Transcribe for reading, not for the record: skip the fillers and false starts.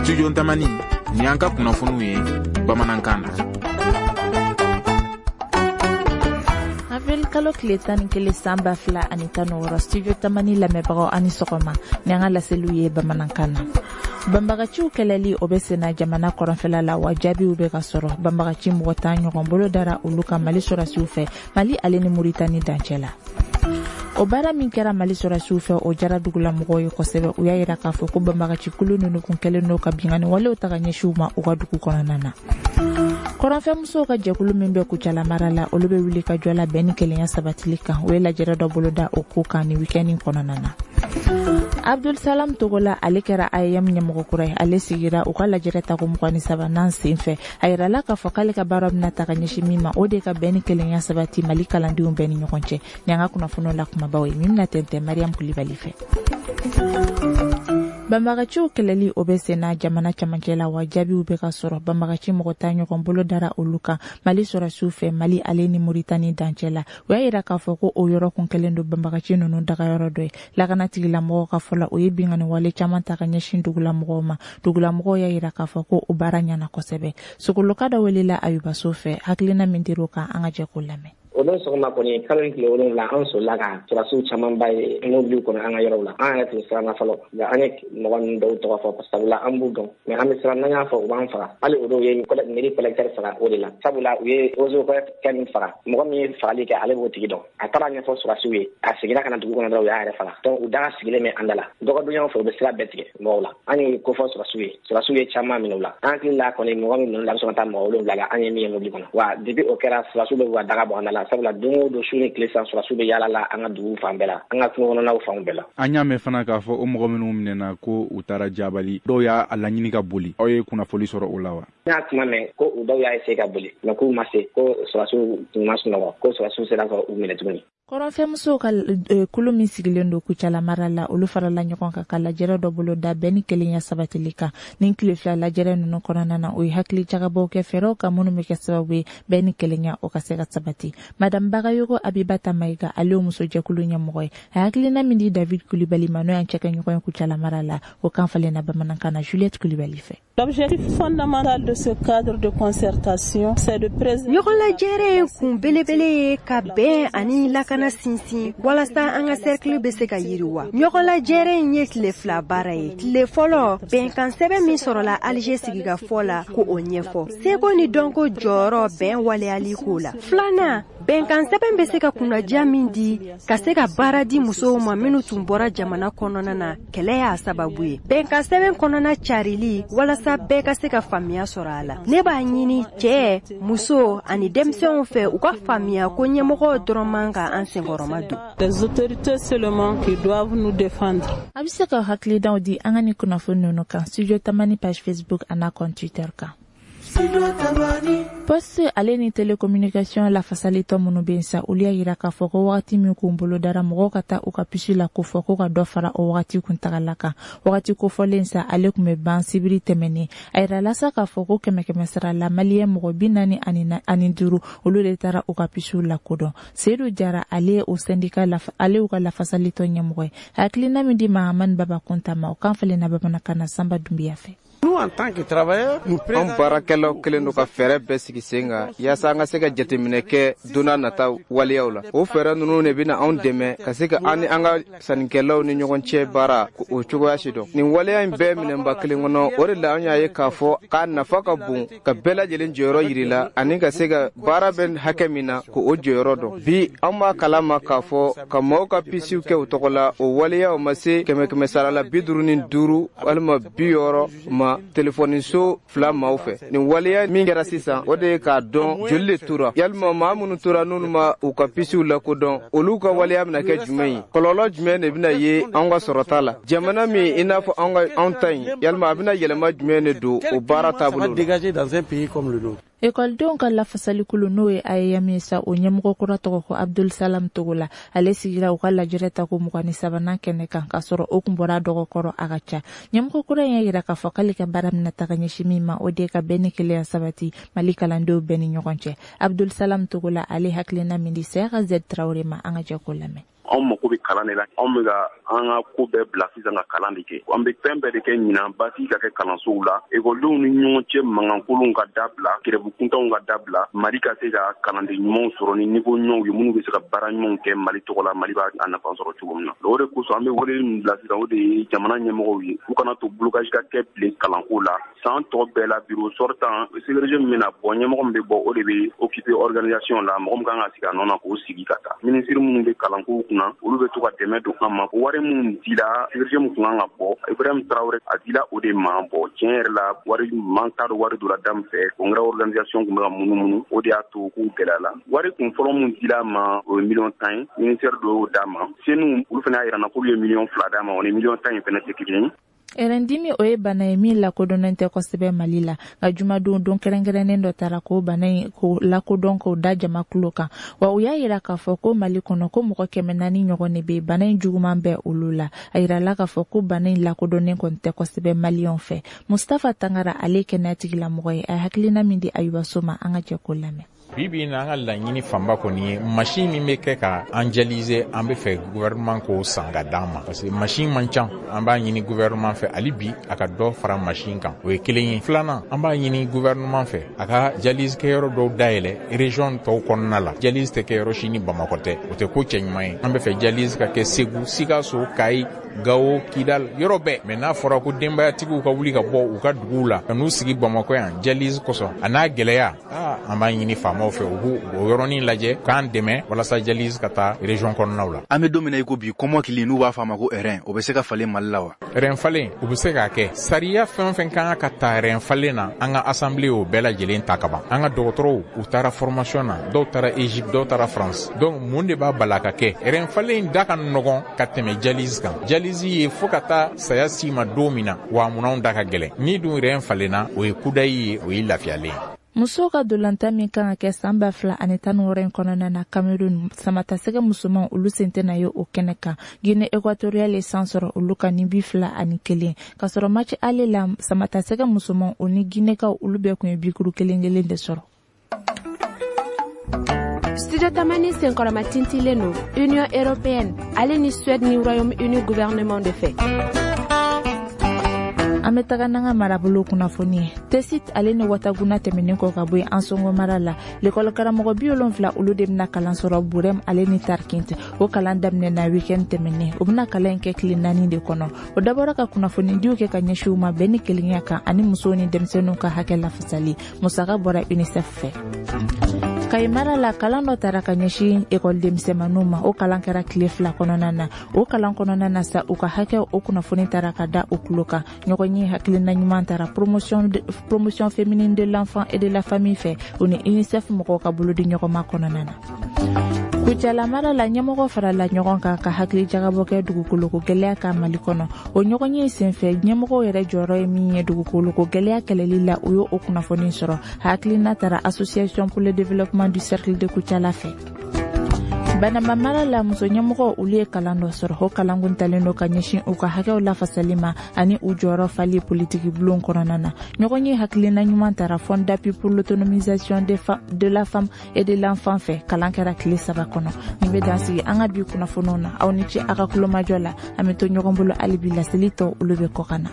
Studio Tamani, ni an ka kunnafoniw ye bamanankan na. Avril kalo tile 11 san 2016, Studio Tamani lamɛnbagaw, ani sɔgɔma. Ni an ka laseliw ye bamanankan na. Banbagaciw kɛlɛli, o bɛ senna jamana kɔrɔnfɛla la, wa jaabiw bɛ ka sɔrɔ. Banbagaci mɔgɔ 10 ɲɔgɔn bolo dara olu kan Mali sɔrɔsiw fɛ, Mali ale ni Muritani dancɛ la. O baara min kɛra Mali sɔrɔsiw fɛ, o jara dugulamɔgɔw ye kosɛbɛ. U y'a yira k'a fɔ ko banbagaci kulu ninnu kun kɛlen don ka binkanni walew ta ka ɲɛsin u ma u ka dugu kɔnɔna na. Kɔrɔnfɛmusow ka jɛkulu min bɛ Kucala mara la, olu bɛ wuli ka jɔ la bɛn ni kelenya sabatili kan. U ye lajɛrɛ dɔ boloda o ko kan ni week-end kɔnɔna na. Abdul Salam Togola, ale kɛra AEEM ɲɛmɔgɔ kura ye. Ale sigira u ka lajɛrɛ tako 23nan sen fɛ. A yirala k'a fɔ k'ale ka baara bɛna ta ka ɲɛsin min ma, o de ka bɛn ni kelenya sabati Mali kalandenw bɛɛ ni ɲɔgɔn cɛ. Ni an ka kunnafoniw la kumabaw ye min bɛna tɛntɛn Mariam Kulibali fɛ. Banbagaciw kɛlɛli, o bɛ senna jamana camancɛ la, wa jaabiw bɛ ka sɔrɔ. Banbagaci mɔgɔ 10 ɲɔgɔn bolo dara olu kan Mali sɔrɔsiw fɛ, Mali ale ni Muritani dancɛ la. U y'a yira k'a fɔ ko o yɔrɔ kun kɛlen don banbagaci ninnu dagayɔrɔ dɔ ye. Lakana tigilamɔgɔw ka fɔ la, o ye binkanni wale caman ta ka ɲɛsin dugulamɔgɔw ma. Dugulamɔgɔw y'a yira k'a fɔ ko o baara ɲɛna kosɛbɛ. Sogoloka dɔ welela Ayubaso fɛ, hakilina min dir'o kan, an ka jɛ k'o lamɛn. O don sɔgɔma kɔni, kalo in tile 7, an solila ka sɔrɔsiw camanba ye mobiliw kɔnɔ an ka yɔrɔw la. An yɛrɛ tun siranna fɔlɔ, nka an ye mɔgɔ ninnu dɔw tɔgɔ fɔ, sabula an b'u dɔn, mais an bɛ siran n'an y'a fɔ, u b'an faga. Hali o dɔw ye mairie collecteur faga o de la, sabula u ye eaux kɛ min faga, mɔgɔ min ye fagali kɛ, ale b'o tigi dɔn. A taara ɲɛfɔ sɔrɔsiw ye, a seginna ka na dugu kɔnɔ dɔrɔn, u y'a yɛrɛ faga. Donc u daga sigilen bɛ an da la dɔgɔdonyaw fɛ, u bɛ sira bɛɛ tigɛ mɔgɔw la. An ye ko fɔ sɔrɔsiw ye, sɔrɔsiw ye caman minɛ u la. An hakili la kɔni, mɔgɔ min ninnu la, bɛ sɔn ka taa mɔgɔ 7 la, an ye min ye mobili kɔnɔ. Wa depuis o kɛra, sɔrɔsiw bɛ ka daga bɔ an da la, sabula don o don, su ni tile san, sɔrɔsiw bɛ yaala la an ka dugu fan bɛɛ la, an ka kungo kɔnɔnaw fanw bɛɛ la. An y'a mɛn fana k'a fɔ o mɔgɔ minnu minɛna, ko u taara Jabali, dɔw y'a laɲini ka boli. Aw ye kunnafoli sɔrɔ o la wa? N y'a kuma mɛn ko u dɔw y'a essayer ka boli, mais k'u ma se, ko sɔrɔsiw tun ma sunɔgɔ, ko sɔrɔsiw sera ka u minɛ tuguni. Kɔrɔnfɛmusow ka kulu min sigilen don Kucala mara la, olu farala ɲɔgɔn kan ka lajɛrɛ dɔ bolo da bɛn ni kelenya sabatili kan. Nin tile 2 lajɛrɛ ninnu kɔnɔna na, u ye hakili jagabɔw kɛ fɛɛrɛw kan minnu bɛ kɛ sababu ye bɛn ni kelenya o ka se ka sabati. Madame Bagayogo Abibata Mayiga, ale ye musojɛkulu ɲɛmɔgɔ ye. A hakilina min di David Kulibali ma, n'o y'an cɛkɛɲɔgɔn ye Kucala mara la, o kan falenna bamanankan na Juliette Kulibali fɛ. L'objectif fondamental de ce cadre de concertation, c'est de préserver. Ɲɔgɔnlajɛrɛ in kun belebele ye ka bɛn ani lakana sinsin walasa an ka cercle bɛ se ka yiriwa. Ɲɔgɔnlajɛrɛ in ye tile 2 baara ye. Tile fɔlɔ, bɛnkan sɛbɛn min sɔrɔla Alger sigikafɔ la, ko o ɲɛfɔ. Seko ni dɔnko jɔyɔrɔ bɛn waleyali ko la. Filanan, bɛnkan sɛbɛn bɛ se ka kunnadiya min di ka se ka baara di musow ma minnu tun bɔra jamana kɔnɔna na, kɛlɛ y'a sababu ye. Bɛnkan sɛbɛn kɔnɔna carili walasa bɛɛ ka se ka faamuya sɔrɔ a la. Ne b'a ɲini cɛ, muso ani denmisɛnw fɛ, u ka faamuya ko ɲɛmɔgɔw dɔrɔn man ka an senkɔrɔma don. Les autorités seulement qui doivent nous défendre. A bɛ se ka hakilidaw di an ka ni kunnafoni ninnu kan Studio Tamani page Facebook an'a compte Twitter kan. Poste ale ni télécommunication lafasalitɔ minnu bɛ yen sa, olu y'a yira k'a fɔ ko wagati min kun bolo dara mɔgɔw ka taa u ka puce la ko fɔ, ko ka dɔ fara o wagati kuntagala kan. Wagati kofɔlen sa, ale tun bɛ ban sibiri tɛmɛnen. A yirala sa k'a fɔ ko kɛmɛ kɛmɛ sara la, maliyɛn mɔgɔ 45, olu de taara u ka puce lakodɔn. Seyidu Jara, ale ye o syndicat, ale y'u ka lafasalitɔ ɲɛmɔgɔ ye. Hakilina min di Mahamani Baba Kunta ma, o kan falenna bamanankan na Sanba Dunbiya fɛ. Nous, en tant que travailleurs, nous An baarakɛlaw kɛlen don ka fɛɛrɛ bɛɛ sigi sen kan yaasa an ka se ka jateminɛ kɛ don n'a nata waleyaw la. O fɛɛrɛ ninnu de bɛna anw dɛmɛ ka se ka an ni an ka sannikɛlaw ni ɲɔgɔn cɛ baara o cogoya si dɔn. Nin waleya in bɛɛ minɛnba kelen kɔnɔ, o de la an y'a ye k'a fɔ k'a nafa ka bon ka bɛɛ lajɛlen jɔyɔrɔ yiri la ani ka se ka baara bɛ hakɛ min na, k'o jɔyɔrɔ dɔn. Bi, an b'a kalama k'a fɔ ka maaw ka pisiw kɛ u tɔgɔ la, o waleyaw ma se kɛmɛ kɛmɛ sara la 55 walima 60 ma telefɔniso fila maaw fɛ. Nin waleya min kɛra sisan, o de ye k'a dɔn joli de tora, yalima maa minnu tora n'olu ma u ka pisiw lakodɔn, olu ka waleya bɛna kɛ jumɛn ye, kɔlɔlɔ jumɛn de bɛna ye anw ka sɔrɔta la jamana min i n'a fɔ anw ka anw ta in, yalima a bɛna yɛlɛma jumɛn de don o baara taabolo la. Ekɔlidenw ka lafasalikulu, n'o ye AEEM ye sa, o ɲɛmɔgɔ kura tɔgɔ ko Abdul Salam Togola. Ale sigira u ka lajɛrɛ tako 23nan kɛnɛ kan, k'a sɔrɔ o kun bɔra dɔgɔkɔrɔ a ka ca. Ɲɛmɔgɔ kura in y'a yira k'a fɔ k'ale ka baara bɛna taga ɲɛsin min ma, o de ye ka bɛn ni kelenya sabati Mali kalandenw bɛɛ ni ɲɔgɔn cɛ. Abdul Salam Togola, ale hakilina min di Sɛka Z Traoré ma, an ka jɛ k'o lamɛn. Anw mako bɛ kalan de la. Anw bɛ ka an ka ko bɛɛ bila sisan ka kalan de kɛ. An bɛ fɛn bɛɛ de kɛ ɲinan basi ka kɛ kalansow la. Ekɔlidenw ni ɲɔgɔn cɛ mankankolonw ka dabila, grève kuntanw ka dabila, Mali ka se ka kalanden ɲumanw sɔrɔ ni niveau ɲumanw ye minnu bɛ se ka baara ɲumanw kɛ Mali tɔgɔ la, Mali b'a nafa sɔrɔ cogo min na. O de kosɔn an bɛ wele min bila sisan, o de ye jamana ɲɛmɔgɔw ye, u kana to blocage ka kɛ bilen kalanko la. San tɔ bɛɛ la, bureau sortant, CVRG min bɛna bɔ, ɲɛmɔgɔ min bɛ bɔ, o de bɛ occuper organisation la. Mɔgɔ min kan ka sigi a nɔ na, k'o sigi ka taa. Minisiri minnu bɛ kalanko kunna, olu bɛ to ka dɛmɛ don an ma. Wari minnu dila, CVRG min kun kan ka bɔ, Ibrahim Traoré, a dila o de ma. Bɔ tiɲɛ yɛrɛ la, wari man t'a dɔn wari donna da min fɛ. Congrès organisation tun bɛ ka munumunu, o de y'a to k'u gɛlɛya la. Wari kun fɔlɔ min dila a ma, o ye miliyɔn 10 ye, ministère dɔ y'o d'a ma. Senu, olu fana y'a yira n na k'olu ye miliyɔn 2 d'a ma. O ni miliyɔn 10 in fana tɛ kelen ye. Ɛrɛndimi, o ye bana ye min lakodɔnnen tɛ kosɛbɛ Mali la. Nka jumadon, don kɛrɛnkɛrɛnnen dɔ taara k'o bana in ko lakodɔn, k'o da jama tulo kan. Wa u y'a yira k'a fɔ ko Mali kɔnɔ, ko mɔgɔ 400 ɲɔgɔn de bɛ bana in juguman bɛ olu la. A yirala k'a fɔ ko bana in lakodɔnnen kɔni tɛ kosɛbɛ Maliyɛnw fɛ. Mustafa Tangara, ale ye kɛnɛya tigilamɔgɔ ye, a ye hakilina min di Ayuba So ma, an ka jɛ k'o lamɛn. Bi bi in na, an ka laɲini fanba kɔni ye machine min bɛ kɛ ka an dialyser. An bɛ fɛ gouvernement k'o san ka d'an ma, parce que machine man ca. An b'a ɲini gouvernement fɛ hali bi, a ka dɔ fara machine kan. O ye kelen ye. Filanan, an b'a ɲini gouvernement fɛ, a ka dialyse kɛyɔrɔ dɔw dayɛlɛ région tɔw kɔnɔna la. Dialyse tɛ kɛ yɔrɔ si ni Bamakɔ tɛ, o tɛ ko cɛɲuman ye. An bɛ fɛ dialyse ka kɛ Segu, Sikaso, Kayi, Gawo, Kidal, yɔrɔ bɛɛ. Mais n'a fɔra ko denbayatigiw ka wuli ka bɔ u ka duguw la ka n'u sigi Bamakɔ yan dialyse kosɔn, a n'a gɛlɛya, an b'a ɲini faamaw fɛ, u b'u o yɔrɔnin lajɛ k'an dɛmɛ walasa dialyse ka taa région kɔnɔnaw la. An bɛ don min na i ko bi, kɔmɔkili, n'u b'a fɔ a ma ko rein, o bɛ se ka falen Mali la wa? Rein falen, u bɛ se k'a kɛ. Sariya fɛn o fɛn kan ka ta rein falen na, an ka assemblée y'o bɛɛ lajɛlen ta ka ban. An ka dɔgɔtɔrɔw, u taara formation na, dɔw taara Égypte, dɔw taara France. Donc mun de b'a bala ka kɛ? Rein falen da ka nɔgɔn ka tɛmɛ dialyse kan. Dialyse ye fo ka taa saya s'i ma don min na, wa munanw da ka gɛlɛn. Ni dun rein falenna, o ye kudayi ye, o ye lafiyalen ye. Musow ka dolantan min kan ka kɛ san 2016 in kɔnɔna na Cameroun, samatasɛgɛ musomanw, olu sen tɛna ye o kɛnɛ kan. Guinée équatoriale ye san sɔrɔ olu kan ni 21, k'a sɔrɔ match aller la, samatasɛgɛ musomanw, o ni Guinékaw, olu bɛɛ kun ye bikuru kelen kelen de sɔrɔ. Studio Tamani senkɔrɔma tintilen don Union européenne ale ni Suède ni Royaume-Uni gouvernement de fɛ. An bɛ taga n'an ka marabolo kunnafoni ye. Tesit ale ni Wataguna tɛmɛnen kɔ ka bɔ yen, Ansongo mara la, lekɔli karamɔgɔ 70, olu de bɛna kalan sɔrɔ Burɛm ale ni Tarkint. O kalan daminɛna weekend tɛmɛnen. O bɛna kalan in kɛ tile 4 de kɔnɔ. O dabɔra ka kunnafonidiw kɛ ka ɲɛsin u ma bɛn ni kelenya kan ani musow ni denmisɛnninw ka hakɛ lafasali. Musaka bɔra UNICEF fɛ. Kayi mara la, kalan dɔ tara ka ɲɛsin ekɔli denmisɛnninw ma. O kalan kɛra tile 2 kɔnɔna na. O kalan kɔnɔna na sa, u ka hakɛ, o kunnafoni tara ka da u tulo kan. Ɲɔgɔn ye hakilina ɲuman tara Promotion féminine de l'enfant et de la famille fɛ, o ni UNICEF mɔgɔw ka bolodi ɲɔgɔnma kɔnɔna na. Kucala mara la, ɲɛmɔgɔ farala ɲɔgɔn kan ka hakili jagabɔ kɛ dugukoloko gɛlɛya kan Mali kɔnɔ. O ɲɔgɔn ye senfɛ, ɲɛmɔgɔw yɛrɛ jɔyɔrɔ ye min ye dugukoloko gɛlɛya kɛlɛli la, u y'o kunnafoni sɔrɔ. Hakilina tara Association pour le développement du cercle de Kucala fɛ. Banama mara la, muso ɲɛmɔgɔ, olu ye kalan dɔ sɔrɔ. O kalan kun talen don ka ɲɛsin u ka hakɛw lafasali ma ani u jɔyɔrɔ fali politiki bulon kɔnɔna na. Ɲɔgɔn ye hakilina ɲuman tara Fonds d'appui pour l'autonomisation de la femme et de l'enfant fɛ. Kalan kɛra tile 3 kɔnɔ. Nin bɛ dan sigi an ka bi kunnafoniw na. Aw ni ce a ka kulomajɔ la. An bɛ to ɲɔgɔn bolo hali bi, laseli tɔ, olu bɛ kɔ ka na.